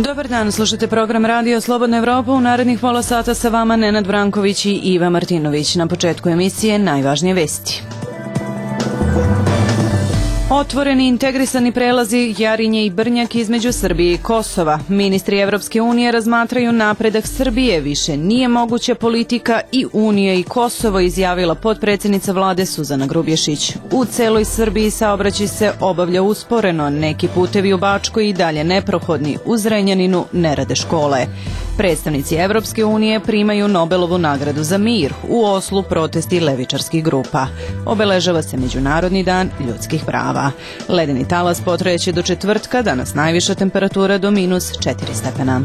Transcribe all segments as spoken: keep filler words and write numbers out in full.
Dobar dan, slušate program Radio Slobodna Evropa. U narednih pola sata sa vama Nenad Branković i Iva Martinović. Na početku emisije najvažnije vesti. Otvoreni integrisani prelazi Jarinje i Brnjak između Srbije i Kosova. Ministri Evropske unije razmatraju napredak Srbije. Više nije moguća politika i Unija i Kosovo, izjavila potpredsjednica vlade Suzana Grubješić. U celoj Srbiji saobraćaj se obavlja usporeno. Neki putevi u Bačkoj i dalje neprohodni. U Zrenjaninu ne rade škole. Predstavnici Evropske unije primaju Nobelovu nagradu za mir. U Oslu protesti levičarskih grupa. Obeležava se Međunarodni dan ljudskih prava. Ledeni talas potrajeće do četvrtka, danas najviša temperatura do minus četiri stepena.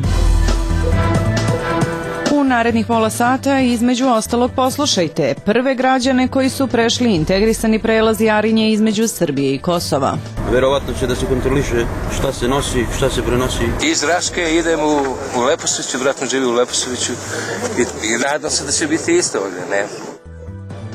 U narednih pola sata između ostalog poslušajte prve građane koji su prešli integrisani prelaz Jarinje između Srbije i Kosova. Verovatno će da se kontroliše šta se nosi, šta se prenosi. Iz Raške idem u, u Leposaviću, vratno živi u Leposaviću i, i nadam se da će biti isto ovdje, ne?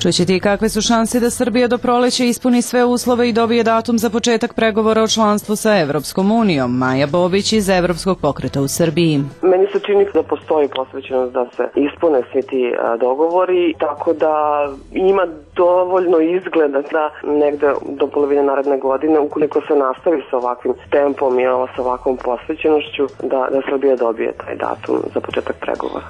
Čućete i kakve su šanse da Srbija do proleća ispuni sve uslove i dobije datum za početak pregovora o članstvu sa Evropskom unijom. Maja Bobić iz Evropskog pokreta u Srbiji. Meni se čini da postoji posvećenost da se ispune svi ti dogovori, tako da ima dovoljno izgleda da negde do polovine naredne godine, ukoliko se nastavi sa ovakvim tempom i sa ovakvom posvećenošću, da, da Srbija dobije taj datum za početak pregovora.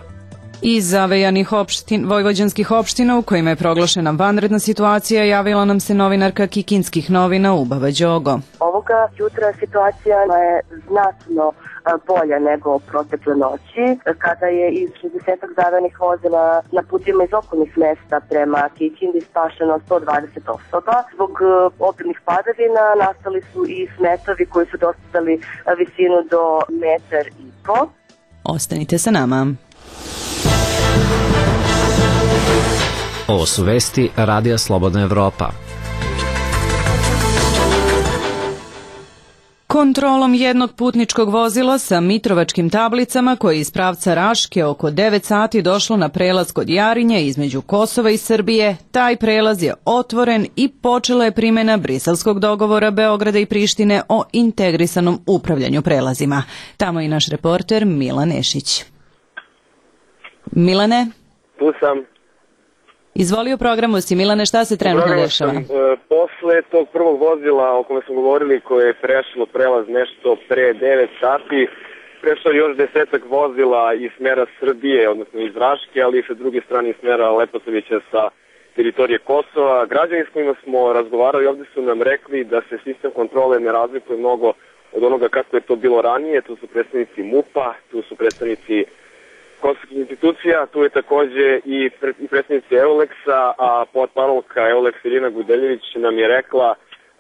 Iz zavejanih opštin, vojvođanskih opština u kojima je proglašena vanredna situacija javila nam se novinarka Kikinskih novina Ubava Đogo. Ovoga jutra situacija je znatno bolja nego protekle noći, kada je iz šezdeset zavejanih vozila na putima iz okolnih mesta prema Kikindi spašeno sto dvadeset osoba. Zbog obilnih padavina nastali su i smetovi koji su dostali visinu do metar i po. Ostanite sa nama. Ovo su vesti Radija Slobodna Evropa. Kontrolom jednog putničkog vozila sa mitrovačkim tablicama koje je iz pravca Raške oko devet sati došlo na prelaz kod Jarinje između Kosova i Srbije, taj prelaz je otvoren i počela je primjena briselskog dogovora Beograda i Prištine o integrisanom upravljanju prelazima. Tamo je naš reporter Milan Nešić. Milane? Tu sam. Izvoli u programu si, Milane, šta se trenutno dešava? E, posle tog prvog vozila o kome smo govorili, koje je prešlo prelaz nešto pre devet sati, prešlo još desetak vozila iz smera Srbije, odnosno iz Raške, ali i sa druge strane iz smera Leposavića sa teritorije Kosova. Građani s kojima smo razgovarali ovdje su nam rekli da se sistem kontrole ne razlikuje mnogo od onoga kako je to bilo ranije. Tu su predstavnici MUP-a, tu su predstavnici kosovskih institucija, tu je takođe i, pre, i predstavnici Euleksa, a potpanovka Euleksa Irina Gudeljević nam je rekla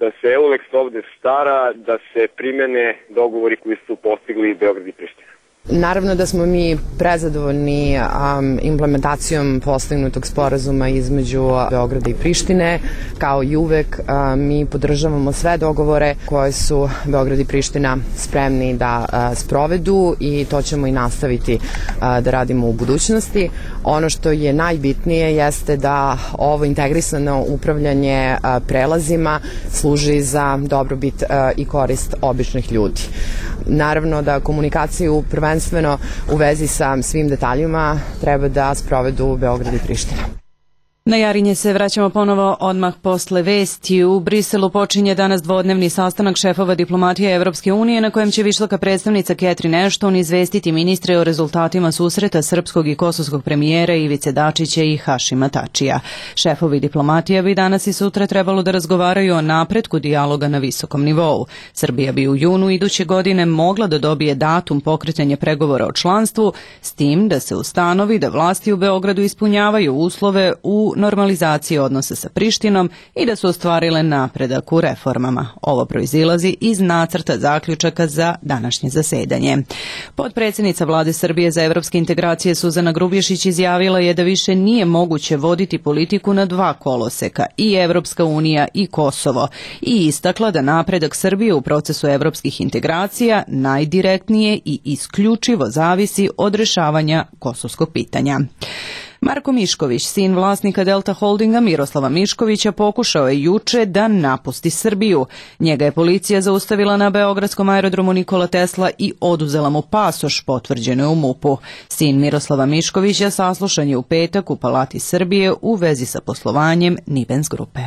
da se Euleks ovde stara, da se primene dogovori koji su postigli Beograd i Priština. Naravno da smo mi prezadovoljni um, implementacijom postignutog sporazuma između Beograda i Prištine. Kao i uvek um, mi podržavamo sve dogovore koje su Beograd i Priština spremni da uh, sprovedu i to ćemo i nastaviti uh, da radimo u budućnosti. Ono što je najbitnije jeste da ovo integrisano upravljanje uh, prelazima služi za dobrobit uh, i korist običnih ljudi. Naravno da komunikaciju prvenstveno u vezi sa svim detaljima treba da sprovedu Beograd i Priština. Na Jarinje se vraćamo ponovo odmah posle vesti. U Briselu počinje danas dvodnevni sastanak šefova diplomatije Evropske unije na kojem će visoka predstavnica Catherine Ashton izvestiti ministre o rezultatima susreta srpskog i kosovskog premijera Ivice Dačića i Hašima Tačija. Šefovi diplomatija bi danas i sutra trebalo da razgovaraju o napretku dijaloga na visokom nivou. Srbija bi u junu iduće godine mogla da dobije datum pokretanja pregovora o članstvu, s tim da se ustanovi da vlasti u Beogradu ispunjavaju uslove u normalizaciji odnosa sa Prištinom i da su ostvarile napredak u reformama. Ovo proizilazi iz nacrta zaključaka za današnje zasedanje. Potpredsjednica vlade Srbije za evropske integracije Suzana Grubješić izjavila je da više nije moguće voditi politiku na dva koloseka, i Evropska unija i Kosovo, i istakla da napredak Srbije u procesu evropskih integracija najdirektnije i isključivo zavisi od rešavanja kosovskog pitanja. Marko Mišković, sin vlasnika Delta Holdinga Miroslava Miškovića, pokušao je juče da napusti Srbiju. Njega je policija zaustavila na beogradskom aerodromu Nikola Tesla i oduzela mu pasoš, potvrđeno je u MUP-u. Sin Miroslava Miškovića saslušan je u petak u Palati Srbije u vezi sa poslovanjem Nibens grupe.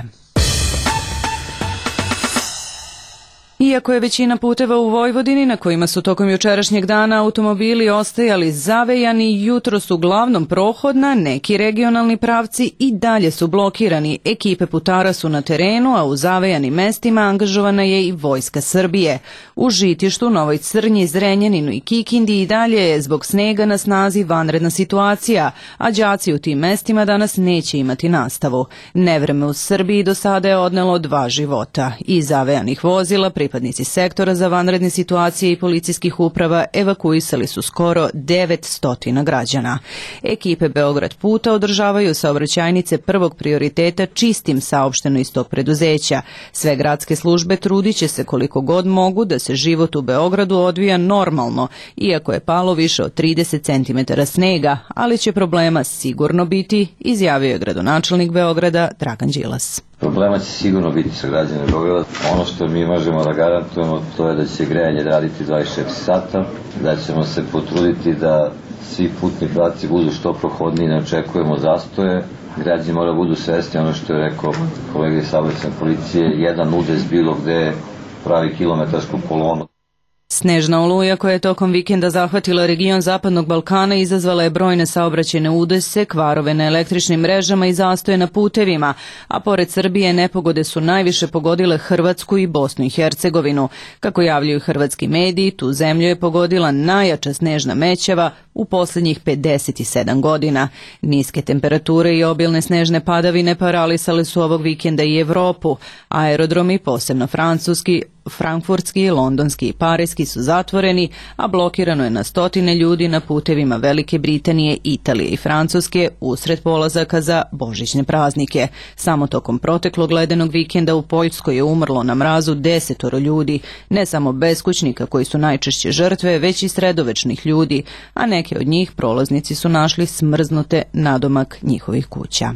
Iako je većina puteva u Vojvodini na kojima su tokom jučerašnjeg dana automobili ostajali zavejani, jutros uglavnom prohodna, neki regionalni pravci i dalje su blokirani. Ekipe putara su na terenu, a u zavejanim mestima angažovana je i Vojska Srbije. U Žitištu, Novoj Crnji, Zrenjaninu i Kikindi i dalje je zbog snega na snazi vanredna situacija, a đaci u tim mestima danas neće imati nastavu. Nevreme u Srbiji do sada je odnelo dva života. Iz zavejanih vozila pripadnici sektora za vanredne situacije i policijskih uprava evakuisali su skoro devetsto građana. Ekipe Beograd puta održavaju saobraćajnice prvog prioriteta čistim, saopšteno iz tog preduzeća. Sve gradske službe trudit će se koliko god mogu da se život u Beogradu odvija normalno, iako je palo više od trideset centimetara snega, ali će problema sigurno biti, izjavio je gradonačelnik Beograda Dragan Đilas. Problema će sigurno biti sa građanima Beograda. Ono što mi možemo da garantujemo to je da će grejanje raditi dvadeset četiri sata, da ćemo se potruditi da svi putni pravci budu što prohodniji, ne očekujemo zastoje. Građani moraju budu svesni, ono što je rekao kolega iz saobraćajne policije, jedan udes bilo gde pravi kilometarsku kolonu. Snežna oluja koja je tokom vikenda zahvatila region Zapadnog Balkana izazvala je brojne saobraćajne udese, kvarove na električnim mrežama i zastoje na putevima, a pored Srbije nepogode su najviše pogodile Hrvatsku i Bosnu i Hercegovinu. Kako javljaju hrvatski mediji, tu zemlju je pogodila najjača snežna mećava u posljednjih pedeset sedam godina. Niske temperature i obilne snežne padavine paralisale su ovog vikenda i Evropu. Aerodromi, posebno francuski, frankfurtski, londonski i parijski su zatvoreni, a blokirano je na stotine ljudi na putevima Velike Britanije, Italije i Francuske usred polazaka za božićne praznike. Samo tokom proteklog ledenog vikenda u Poljskoj je umrlo na mrazu desetoro ljudi, ne samo beskućnika koji su najčešće žrtve, već i sredovečnih ljudi, a neke od njih prolaznici su našli smrznute nadomak njihovih kuća.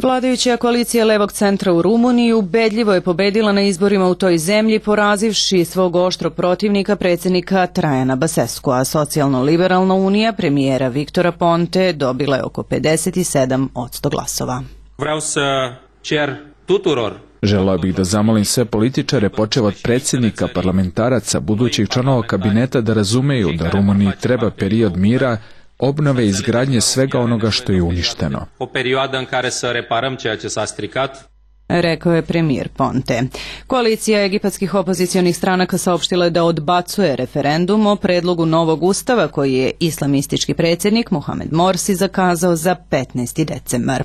Vladajuća koalicija Levog centra u Rumuniji ubedljivo je pobedila na izborima u toj zemlji, porazivši svog oštro protivnika predsjednika Trajana Basescu, a socijalno-liberalna unija premijera Viktora Ponte dobila je oko pedeset sedam posto glasova. Vreau să cer tuturor Želeo bih da zamolim sve političare, počev od predsjednika, parlamentaraca, budućih članova kabineta, da razumeju da Rumuniji treba period mira, obnove i izgradnje svega onoga što je uništeno. O perioadă în care să reparăm ceea ce s-a stricat, rekao je premijer Ponte. Koalicija egipatskih opozicionih stranaka saopštila je da odbacuje referendum o predlogu novog ustava koji je islamistički predsjednik Mohamed Morsi zakazao za petnaesti decembar.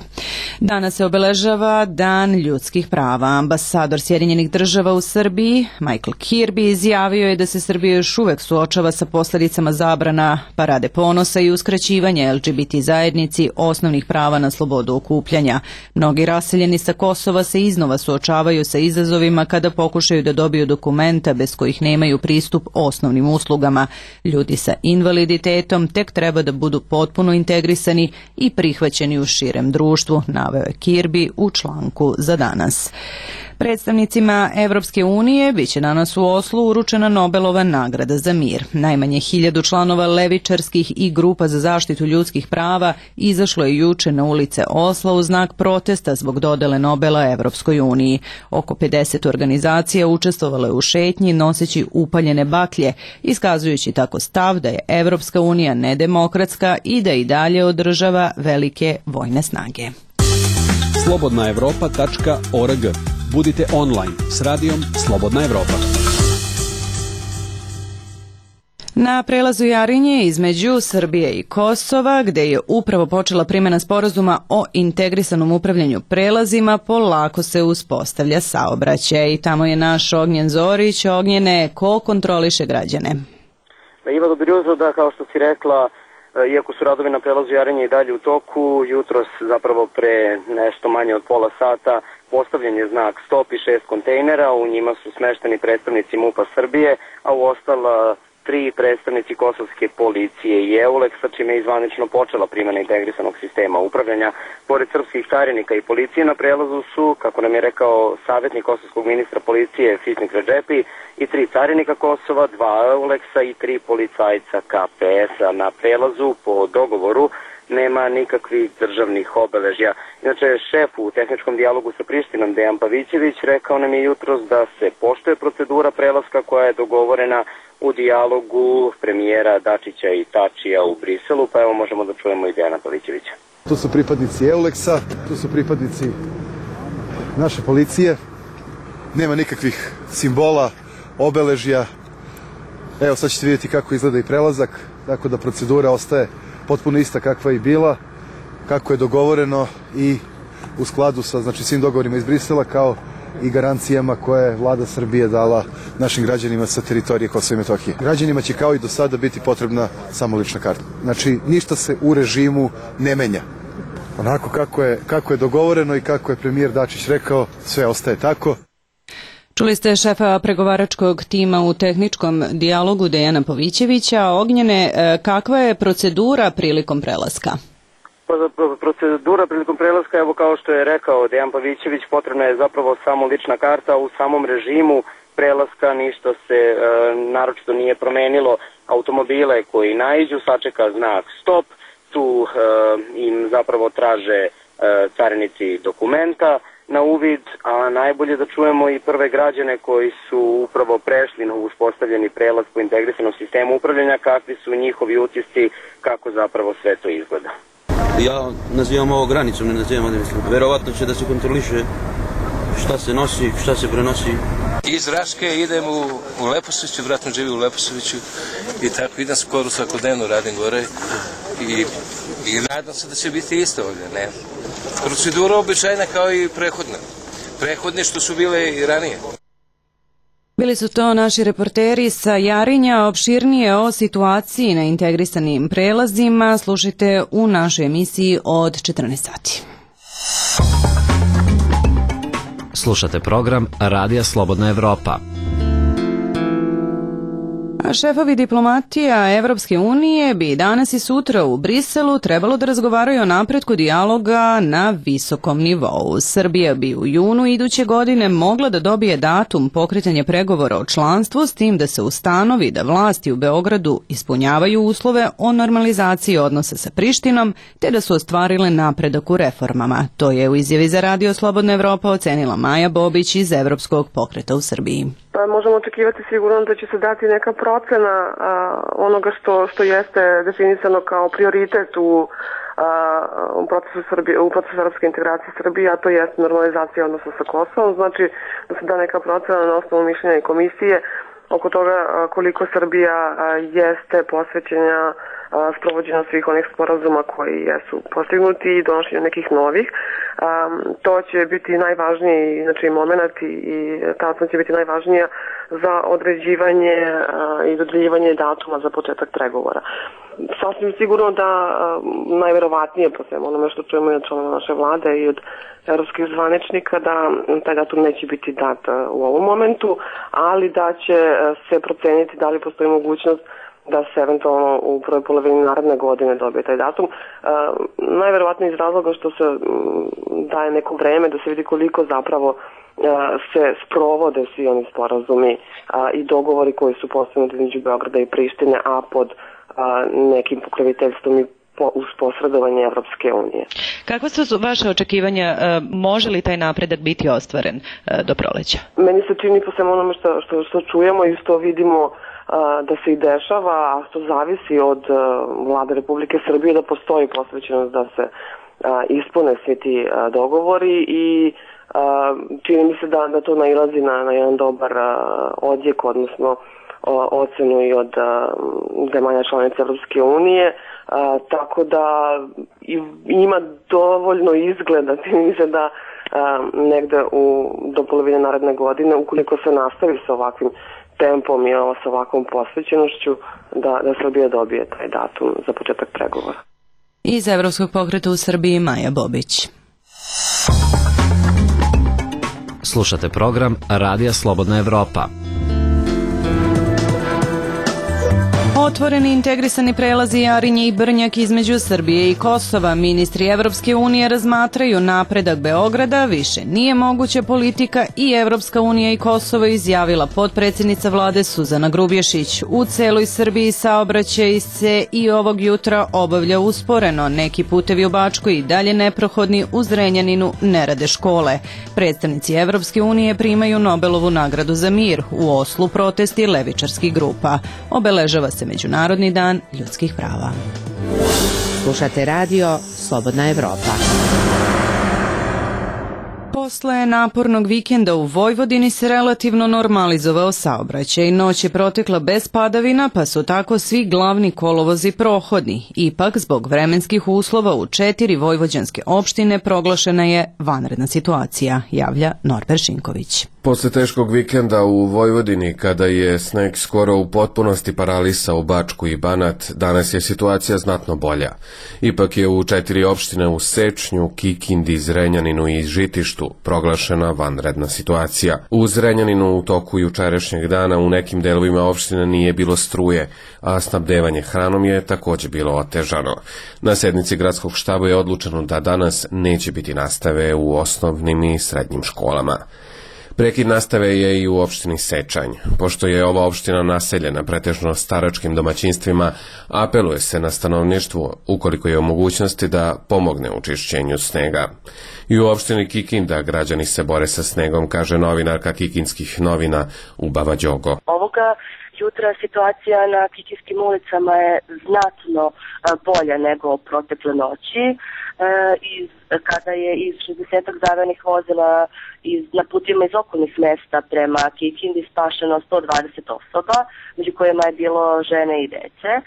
Danas se obeležava Dan ljudskih prava. Ambasador Sjedinjenih država u Srbiji, Michael Kirby, izjavio je da se Srbija još uvek suočava sa posljedicama zabrana parade ponosa i uskraćivanja L G B T zajednici osnovnih prava na slobodu okupljanja. Mnogi raseljeni sa Kosova se iznova suočavaju sa izazovima kada pokušaju da dobiju dokumenta bez kojih nemaju pristup osnovnim uslugama. Ljudi sa invaliditetom tek treba da budu potpuno integrisani i prihvaćeni u širem društvu, naveo je Kirby u članku za danas. Predstavnicima Evropske unije biće danas u Oslu uručena Nobelova nagrada za mir. Najmanje hiljadu članova levičarskih i grupa za zaštitu ljudskih prava izašlo je juče na ulice Osla u znak protesta zbog dodele Nobela Evropskoj uniji. Oko pedeset organizacija učestvovalo je u šetnji noseći upaljene baklje, iskazujući tako stav da je Evropska unija nedemokratska i da i dalje održava velike vojne snage. slobodna evropa tačka org. Budite online s radijom Slobodna Evropa. Na prelazu Jarinje između Srbije i Kosova, gde je upravo počela primjena sporazuma o integrisanom upravljanju prelazima, polako se uspostavlja saobraćaj. I tamo je naš Ognjen Zorić. Ognjene, ko kontroliše građane? Iva, dobro jutro, da, kao što si rekla, iako su radovi na prelazu Jarinje i dalje u toku, jutros zapravo pre nešto manje od pola sata postavljen je znak stop i šest kontejnera, u njima su smešteni predstavnici MUP-a Srbije, a u ostala tri predstavnici kosovske policije i EULEX-a, čime je zvanično počela primjena integrisanog sistema upravljanja. Pored srpskih carinika i policije na prelazu su, kako nam je rekao savjetnik kosovskog ministra policije Fitnik Redžepi, i tri carinika Kosova, dva EULEX-a i tri policajca K P S-a. Na prelazu po dogovoru nema nikakvih državnih obeležja. Inače, šef u tehničkom dijalogu sa Prištinom, Dejan Pavićević, rekao nam je jutros da se poštuje procedura prelaska koja je dogovorena u dijalogu premijera Dačića i Tačija u Briselu, pa evo možemo da čujemo i Dejana Pavićevića. Tu su pripadnici EULEX-a, tu su pripadnici naše policije, nema nikakvih simbola, obeležja. Evo sad ćete vidjeti kako izgleda i prelazak, tako da procedura ostaje potpuno ista kakva je i bila, kako je dogovoreno i u skladu sa znači, svim dogovorima iz Brisela, kao i garancijama koje je vlada Srbije dala našim građanima sa teritorije Kosova i Metohije. Građanima će kao i do sada biti potrebna samo lična karta. Znači, ništa se u režimu ne menja. Onako kako je, kako je dogovoreno i kako je premijer Dačić rekao, sve ostaje tako. Čuli ste šefa pregovaračkog tima u tehničkom dijalogu Dejana Pavićevića. Ognjene, kakva je procedura prilikom prelaska? Procedura prilikom prelaska, evo kao što je rekao Dejan Pavićević, potrebna je zapravo samo lična karta. U samom režimu prelaska ništa se e, naročito nije promenilo. Automobile koji naiđu sačeka znak stop, tu e, im zapravo traže e, carinici dokumenta na uvid, a najbolje da čujemo i prve građane koji su upravo prešli na uspostavljeni prelaz po integrisanom sistemu upravljanja, kakvi su njihovi utisci, kako zapravo sve to izgleda. Ja nazivam ovo granicom, ne nazivam ovdje, mislim. Verovatno će da se kontroliše šta se nosi, šta se prenosi. Iz Raške idem u, u Leposaviću, vratno živim u Leposaviću i tako idem skoro svakodnevno, radim gore i, i nadam se da će biti isto ovdje, ne? Procedura običajna kao i prehodna. Prehodne što su bile i ranije. Bili su to naši reporteri sa Jarinja. Opširnije o situaciji na integrisanim prelazima slušajte u našoj emisiji od četrnaest sati. Slušate program Radija Slobodna Evropa. A šefovi diplomatija Evropske unije bi danas i sutra u Briselu trebalo da razgovaraju o napretku dijaloga na visokom nivou. Srbija bi u junu iduće godine mogla da dobije datum pokretanja pregovora o članstvu, s tim da se ustanovi da vlasti u Beogradu ispunjavaju uslove o normalizaciji odnosa sa Prištinom, te da su ostvarile napredak u reformama. To je u izjavi za Radio Slobodna Evropa ocenila Maja Bobić iz Evropskog pokreta u Srbiji. Pa možemo očekivati sigurno da će se dati neka procena a, onoga što, što jeste definisano kao prioritet u, a, u, procesu Srbije, u procesu evropske integracije Srbije, a to jeste normalizacija odnosa sa Kosovom. Znači da se da neka procena na osnovu mišljenja i komisije oko toga a, koliko Srbija a, jeste posvećena sprovođenja svih onih sporazuma koji jesu postignuti i donošenja nekih novih. Um, to će biti najvažniji znači, moment i, i ta će biti najvažnija za određivanje uh, i dodeljivanje datuma za početak pregovora. Sasvim sigurno da uh, najverovatnije po svemu onome što čujemo i od članova naše vlade i od evropskih zvaničnika da taj datum neće biti dat uh, u ovom momentu, ali da će uh, se proceniti da li postoji mogućnost da se eventualno u prvoj polovini naredne godine dobije taj datum. E, najverovatnije iz razloga što se m, daje neko vreme da se vidi koliko zapravo e, se sprovode svi oni sporazumi a, i dogovori koji su postignuti između Beograda i Prištine, a pod a, nekim pokroviteljstvom i po, uz posredovanje Evropske unije. Kakva su vaše očekivanja? E, može li taj napredak biti ostvaren e, do proleća? Meni se čini po svemu onome što, što, što čujemo i što vidimo da se i dešava, a što zavisi od uh, vlade Republike Srbije da postoji posvećenost da se uh, ispune svi ti uh, dogovori i uh, čini mi se da, da to nailazi na, na jedan dobar uh, odjek, odnosno uh, ocenu i od uh, zemalja članica Evropske unije, uh, tako da i, ima dovoljno izgleda, čini mi se da uh, negde u, do polovine naredne godine, ukoliko se nastavi sa ovakvim tempom i sa ovakvom posvećenošću da, da Srbija dobije taj datum za početak pregovora. Iz Evropskog pokreta u Srbiji Maja Bobić. Slušate program Radija Slobodna Evropa. Otvoreni integrisani prelazi Jarinje i Brnjak između Srbije i Kosova. Ministri Evropske unije razmatraju napredak Beograda, više nije moguća politika i Evropska unija i Kosovo, izjavila potpredsjednica vlade Suzana Grubješić. U celoj Srbiji saobraćaj se i ovog jutra obavlja usporeno. Neki putevi u Bačkoj i dalje neprohodni, u Zrenjaninu ne rade škole. Predstavnici Evropske unije primaju Nobelovu nagradu za mir. U Oslu protesti levičarskih grupa. Obeležava se Međunarodni dan ljudskih prava. Slušate radio Slobodna Evropa. Posle napornog vikenda u Vojvodini se relativno normalizovao saobraćaj. Noć je protekla bez padavina, pa su tako svi glavni kolovozi prohodni. Ipak, zbog vremenskih uslova u četiri vojvođanske opštine proglašena je vanredna situacija, javlja Norbert Šinković. Posle teškog vikenda u Vojvodini, kada je sneg skoro u potpunosti paralisao Bačku i Banat, danas je situacija znatno bolja. Ipak je u četiri opštine u Sečnju, Kikindi, Zrenjaninu i Žitištu proglašena vanredna situacija. U Zrenjaninu u toku jučerašnjeg dana u nekim delovima opštine nije bilo struje, a snabdevanje hranom je također bilo otežano. Na sednici gradskog štaba je odlučeno da danas neće biti nastave u osnovnim i srednjim školama. Prekid nastave je i u opštini Sečanj. Pošto je ova opština naseljena pretežno staračkim domaćinstvima, apeluje se na stanovništvo, ukoliko je u mogućnosti, da pomogne u čišćenju snega. I u opštini Kikinda građani se bore sa snegom, kaže novinarka Kikinskih novina Ubava Đogo. Ovoga jutra situacija na kikinskim ulicama je znatno bolja nego protekle noći. E, iz, kada je iz šezdeset zavenih vozila iz, na putima iz okolnih mesta prema Kikindi spašeno sto dvadeset osoba, među kojima je bilo žene i dece. E,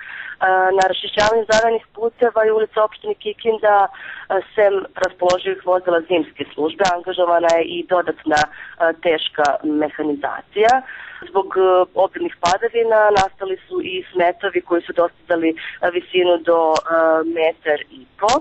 na raščišćavanju zavenih puteva i ulica opštine Kikinda, sem raspoloživih vozila zimske službe, angažovana je i dodatna a, teška mehanizacija. Zbog a, obilnih padavina nastali su i smetovi koji su dostizali a, visinu do a, metar i po.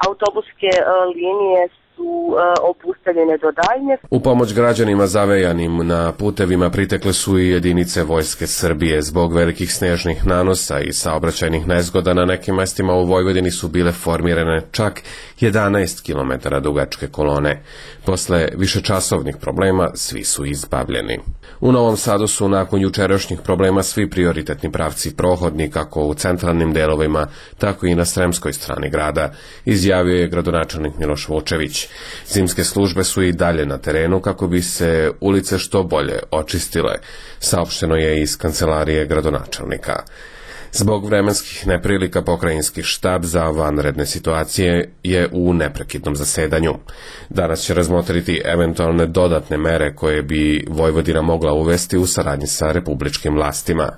Autobuske linije su obustavljene do daljnje. U pomoć građanima zavejanim na putevima pritekle su i jedinice Vojske Srbije. Zbog velikih snežnih nanosa i saobraćajnih nezgoda na nekim mestima u Vojvodini su bile formirane čak jedanaest kilometara dugačke kolone. Posle višečasovnih problema svi su izbavljeni. U Novom Sadu su nakon jučerašnjih problema svi prioritetni pravci prohodni, kako u centralnim delovima, tako i na Sremskoj strani grada, izjavio je gradonačelnik Miloš Vučević. Zimske službe su i dalje na terenu kako bi se ulice što bolje očistile, saopšteno je iz kancelarije gradonačelnika. Zbog vremenskih neprilika pokrajinski štab za vanredne situacije je u neprekidnom zasedanju. Danas će razmotriti eventualne dodatne mere koje bi Vojvodina mogla uvesti u saradnji sa republičkim vlastima.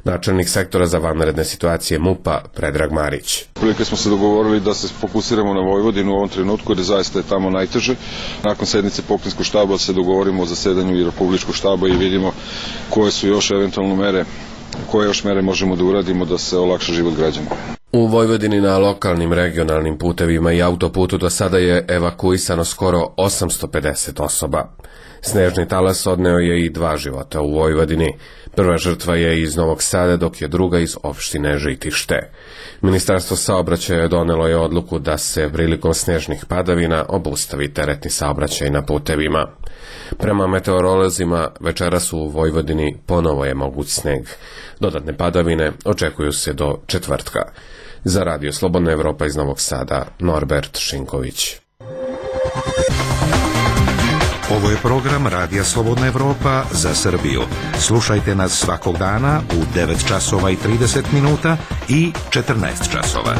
Načelnik sektora za vanredne situacije MUP-a Predrag Marić. Prilike smo se dogovorili da se fokusiramo na Vojvodinu u ovom trenutku, jer zaista je tamo najteže. Nakon sednice pokrajinskog štaba se dogovorimo o zasedanju i republičkog štaba i vidimo koje su još eventualno mere, koje još mere možemo da uradimo da se olakša život građana. U Vojvodini na lokalnim regionalnim putevima i autoputu do sada je evakuisano skoro osamsto pedeset osoba. Snežni talas odneo je i dva života u Vojvodini. Prva žrtva je iz Novog Sada, dok je druga iz opštine Žitište. Ministarstvo saobraćaja donelo je odluku da se prilikom snežnih padavina obustavi teretni saobraćaj na putevima. Prema meteorolozima, večeras u Vojvodini ponovo je moguć sneg. Dodatne padavine očekuju se do četvrtka. Za Radio Slobodna Evropa iz Novog Sada, Norbert Šinković. Ovo je program Radija Slobodna Evropa za Srbiju. Slušajte nas svakog dana u devet časova i trideset minuta i četrnaest časova.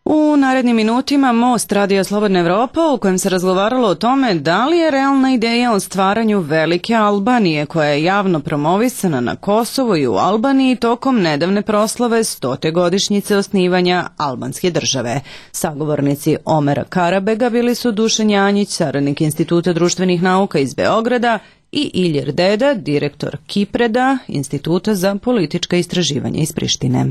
U narednim minutima Most Radija Slobodna Evropa, u kojem se razgovaralo o tome da li je realna ideja o stvaranju velike Albanije, koja je javno promovisana na Kosovu i u Albaniji tokom nedavne proslave stote godišnjice osnivanja albanske države. Sagovornici Omera Karabega bili su Dušan Janjić, saradnik Instituta društvenih nauka iz Beograda, i Ilir Deda, direktor Kipreda, Instituta za politička istraživanja iz Prištine.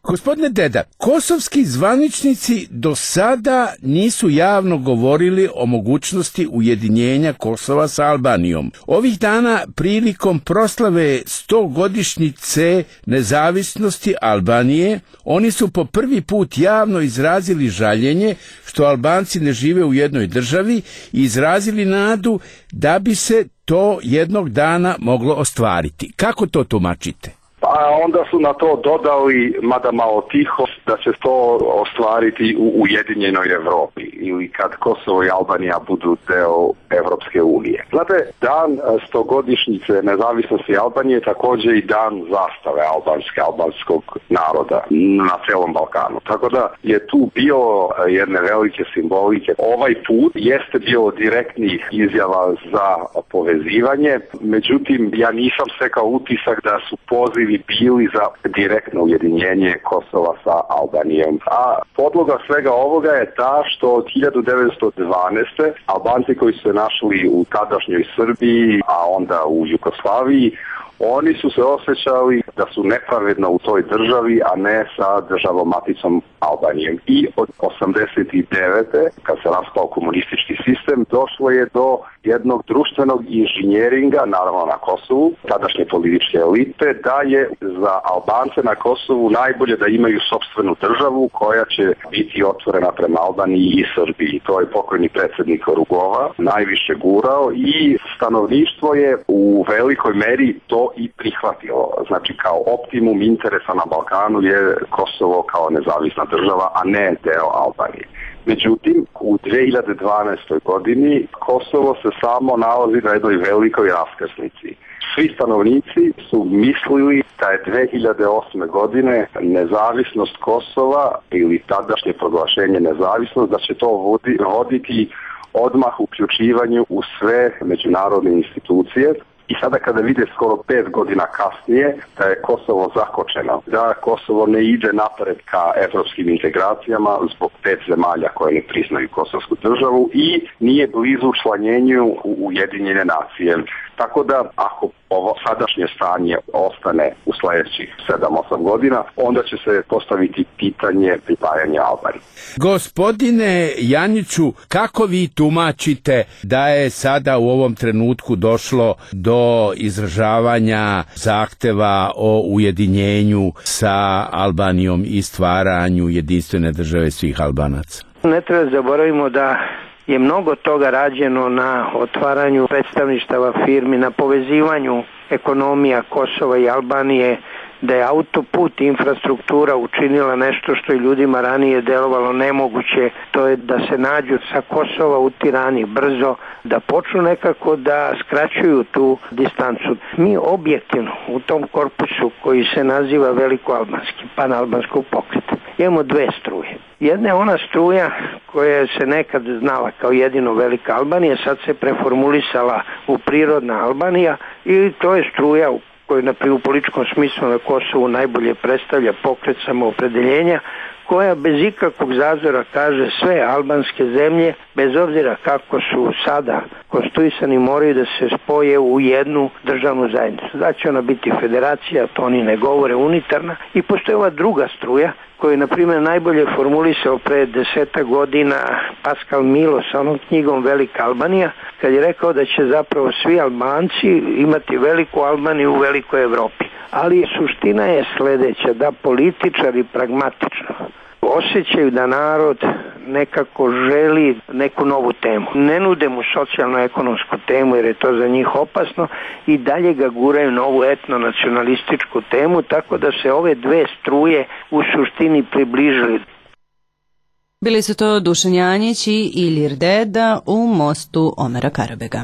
Gospodine Deda, kosovski zvaničnici do sada nisu javno govorili o mogućnosti ujedinjenja Kosova sa Albanijom. Ovih dana prilikom proslave stogodišnjice nezavisnosti Albanije, oni su po prvi put javno izrazili žaljenje što Albanci ne žive u jednoj državi i izrazili nadu da bi se to jednog dana moglo ostvariti. Kako to tumačite? A onda su na to dodali, mada malo tiho, da će to ostvariti u Ujedinjenoj Evropi ili kad Kosovo i Albanija budu deo Evropske unije. Znate, dan stogodišnjice nezavisnosti Albanije je također i dan zastave albanske, albanskog naroda na celom Balkanu. Tako da je tu bilo jedne velike simbolike. Ovaj put jeste bilo direktnih izjava za povezivanje, međutim ja nisam stekao utisak da su pozivi bili za direktno ujedinjenje Kosova sa Albanijom. A podloga svega ovoga je ta što od hiljadu devetsto dvanaeste. Albanci koji su se našli u tadašnjoj Srbiji, a onda u Jugoslaviji, oni su se osjećali da su nepravedno u toj državi, a ne sa državom maticom Albanijom. I od osamdeset devete. kad se raspao komunistički sistem, došlo je do jednog društvenog inženjeringa, naravno na Kosovu, tadašnje političke elite, da je za Albance na Kosovu najbolje da imaju sopstvenu državu koja će biti otvorena prema Albaniji i Srbiji. To je pokojni predsjednik Rugova najviše gurao i stanovništvo je u velikoj meri to i prihvatilo. Znači kao optimum interesa na Balkanu je Kosovo kao nezavisna država, a ne deo Albanije. Međutim, u dve hiljade dvanaestoj. godini Kosovo se samo nalazi na jednoj velikoj raskrsnici. Svi stanovnici su mislili da je dve hiljade osme. godine nezavisnost Kosova ili tadašnje proglašenje nezavisnost, da će to vodi, voditi odmah uključivanju u sve međunarodne institucije. I sada kada vide skoro pet godina kasnije da je Kosovo zakočeno, da Kosovo ne ide napred ka evropskim integracijama zbog pet zemalja koje ne priznaju kosovsku državu i nije blizu učlanjenju u Ujedinjene nacije. Tako da ako ovo sadašnje stanje ostane u sljedećih sedam osam godina, onda će se postaviti pitanje pripajanja Albanije. Gospodine Janjiću, kako vi tumačite da je sada u ovom trenutku došlo do izražavanja zahteva o ujedinjenju sa Albanijom i stvaranju jedinstvene države svih Albanaca? Ne treba zaboravimo da je mnogo toga rađeno na otvaranju predstavništava firmi, na povezivanju ekonomija Kosova i Albanije, da je autoput infrastruktura učinila nešto što je ljudima ranije delovalo nemoguće, to je da se nađu sa Kosova u Tirani brzo, da počnu nekako da skraćuju tu distancu. Mi objektivno u tom korpusu koji se naziva Velikoalbanski, panalbanskog pokreta, imamo dve struje. Jedna je ona struja koja se nekad znala kao jedino Velika Albanija, sad se preformulisala u prirodna Albanija i to je struja u koji na u političkom smislu na Kosovu najbolje predstavlja pokret samoopredeljenja, koja bez ikakvog zazora kaže sve albanske zemlje, bez obzira kako su sada konstituisani, moraju da se spoje u jednu državnu zajednicu. Da će ona biti federacija, to oni ne govore, unitarna. I postoji ova druga struja, koju je, na primjer, najbolje formulisao pre deseta godina Pascal Milo sa onom knjigom Velika Albanija, kad je rekao da će zapravo svi Albanci imati veliku Albaniju u velikoj Evropi. Ali suština je sljedeća, da političari pragmatično osjećaju da narod nekako želi neku novu temu. Ne nude mu socijalno-ekonomsku temu jer je to za njih opasno i dalje ga guraju na ovu etno-nacionalističku temu, tako da se ove dve struje u suštini približili. Bili su to Dušan Janjić i Ilir Deda u mostu Omera Karabega.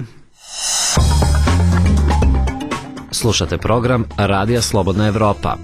Slušate program Radija Slobodna Evropa.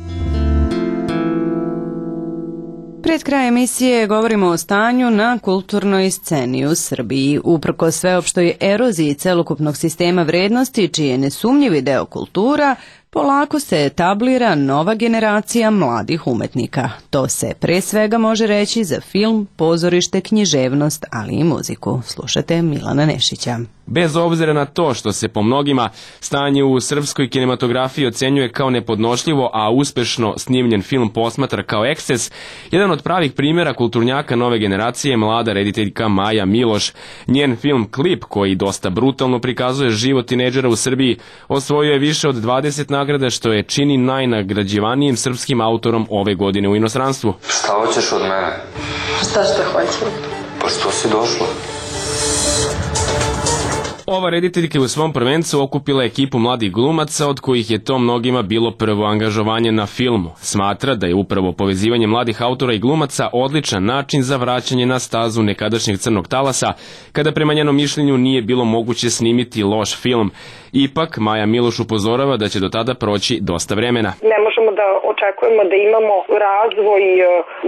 Pred kraj emisije govorimo o stanju na kulturnoj sceni u Srbiji. Uprkos sveopštoj eroziji celokupnog sistema vrednosti, čiji je nesumnjivi deo kultura, polako se etablira nova generacija mladih umetnika. To se pre svega može reći za film, pozorište, književnost, ali i muziku. Slušate Milana Nešića. Bez obzira na to što se po mnogima stanje u srpskoj kinematografiji ocenjuje kao nepodnošljivo, a uspešno snimljen film posmatra kao eksces, jedan od pravih primjera kulturnjaka nove generacije je mlada rediteljka Maja Miloš. Njen film Klip, koji dosta brutalno prikazuje život tinejdžera u Srbiji, osvojio je više od dvadeset nagrada, što je čini najnagrađivanijim srpskim autorom ove godine u inostranstvu. Šta hoćeš od mene? Šta što hoćeš? Pa što si došla? Ova rediteljka je u svom prvencu okupila ekipu mladih glumaca, od kojih je to mnogima bilo prvo angažovanje na filmu. Smatra da je upravo povezivanje mladih autora i glumaca odličan način za vraćanje na stazu nekadašnjeg crnog talasa, kada prema njenom mišljenju nije bilo moguće snimiti loš film. Ipak, Maja Miloš upozorava da će do tada proći dosta vremena. Ne možemo da očekujemo da imamo razvoj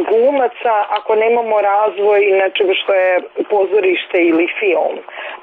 glumaca ako nemamo razvoj nečega što je pozorište ili film.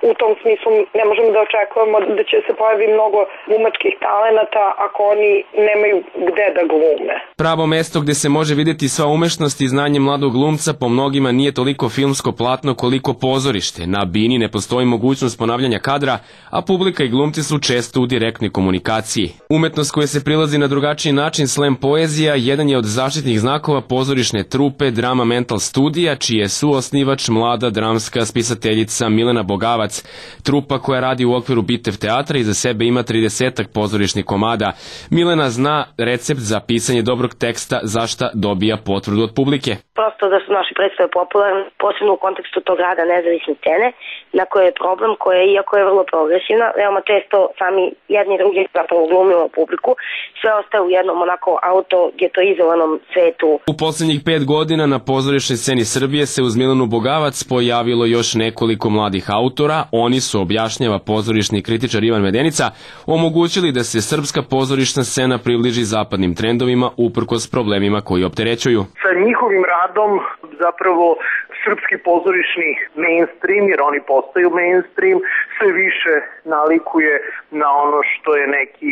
U tom smislu ne možemo da očekujemo da će se pojavi mnogo glumačkih talenata ako oni nemaju gde da glume. Pravo mesto gde se može vidjeti sva umešnost i znanje mladog glumca po mnogima nije toliko filmsko platno koliko pozorište. Na bini ne postoji mogućnost ponavljanja kadra, a publika i glumci su često u direktnoj komunikaciji. Umetnost koja se prilazi na drugačiji način, slam poezija, jedan je od zaštitnih znakova pozorišne trupe Drama Mental Studija, čiji je suosnivač mlada dramska spisateljica Milena Bogavac. Trupa koja radi u okviru Bitev teatra i za sebe ima tridesetak pozorišnih komada. Milena zna recept za pisanje dobrog teksta, za šta dobija potvrdu od publike. Prosto da su naši predstave popularne, posebno u kontekstu tog rada nezavisne scene, na koje je problem koja, iako je vrlo progresivna, veoma često sami jedni i drugi zapravo glumimo publiku, sve ostaje u jednom onako auto-getoizovanom svetu. U posljednjih pet godina na pozorišnoj sceni Srbije se uz Milenu Bogavac pojavilo još nekoliko mladih autora. Oni su, objašnjava pozorišni kritičar Ivan Medenica, omogućili da se srpska pozorišna scena približi zapadnim trendovima uprkos problemima koji opterećuju. Sa njihovim radom zapravo srpski pozorišni mainstream, jer oni postaju mainstream, sve više nalikuje na ono što je neki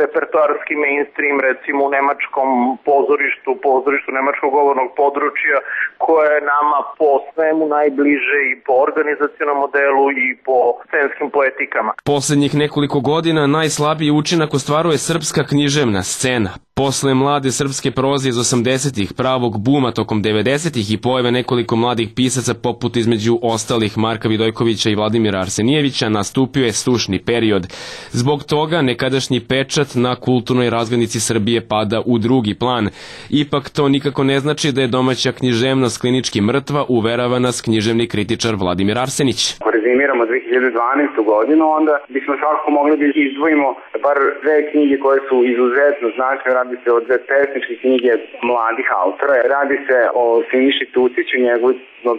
repertoarski mainstream, recimo u nemačkom pozorištu, pozorištu nemačkog govornog područja, koje je nama po svemu najbliže i po organizacionom modelu i po scenskim poetikama. Poslednjih nekoliko godina najslabiji učinak ostvaruje srpska književna scena. Posle mlade srpske proze iz osamdesetih, pravog buma tokom devedesetih i pojave nekoliko mladih pisaca poput između ostalih Marka Vidojkovića i Vladimira Arsenijevića, nastupio je sušni period. Zbog toga nekadašnji pečat na kulturnoj razglednici Srbije pada u drugi plan. Ipak to nikako ne znači da je domaća književnost klinički mrtva, uverava nas književni kritičar Vladimir Arsenić. Ako rezimiramo dve hiljade dvanaestu. godinu, onda bismo svakako mogli da izdvojimo bar dve knjige koje su izuzetno značajne. Radi se o dve pesničke knjige mladih autora. Radi se o Siniši Tuciću, njegovoj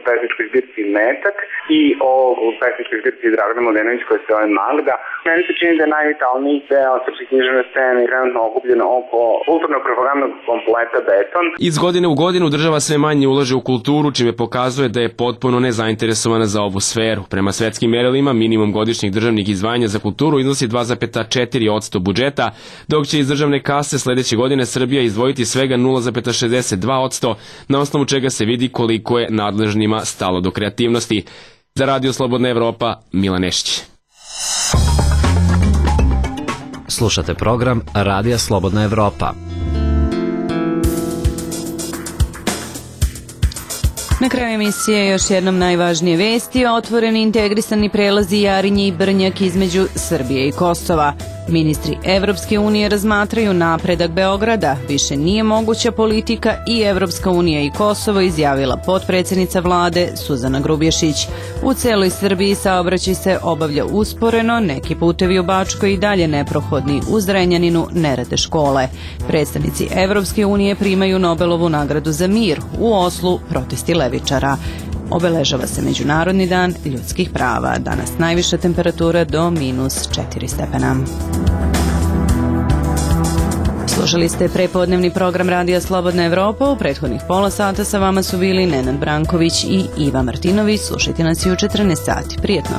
pesničkoj zbirci Metak i o pesničkoj zbirci Dragana Mladenović koja se zove Magda. Meni se čini da je najvitalniji deo srpske književne scene trenutno okupljeno oko kulturno-propagandnog kompleta Beton. Iz godine u godinu država sve manje ulaže u kulturu, čime pokazuje da je potpuno nezainteresovana za ovu sferu. Prema svetskim merilima, minimum godišnjih državnih izdvajanja za kulturu iznosi dva zarez četiri posto budžeta, dok će iz državne kase sledeće godine Srbija izdvojiti svega nula zarez šezdeset dva posto, na osnovu čega se vidi koliko je nadležnima stalo do kreativnosti. Za Radio Slobodna Evropa, Milan Nešić. Slušate program Radija Slobodna Evropa. Na kraju emisije još jednom najvažnije vesti: otvoreni integrisani prelazi Jarinje i Brnjak između Srbije i Kosova. Ministri Evropske unije razmatraju napredak Beograda. Više nije moguća politika i Evropska unija i Kosovo, izjavila potpredsjednica vlade Suzana Grubješić. U celoj Srbiji saobraćaj se obavlja usporeno, neki putevi u Bačkoj i dalje neprohodni, u Zrenjaninu ne rade škole. Predstavnici Evropske unije primaju Nobelovu nagradu za mir, u Oslu protesti levičara. Obeležava se Međunarodni dan ljudskih prava. Danas najviša temperatura do minus četiri stepena. Slušali ste prepodnevni program Radija Slobodna Evropa. U prethodnih pola sata sa vama su bili Nenad Branković i Iva Martinović. Slušajte nas i u četrnaest sati. Prijetno.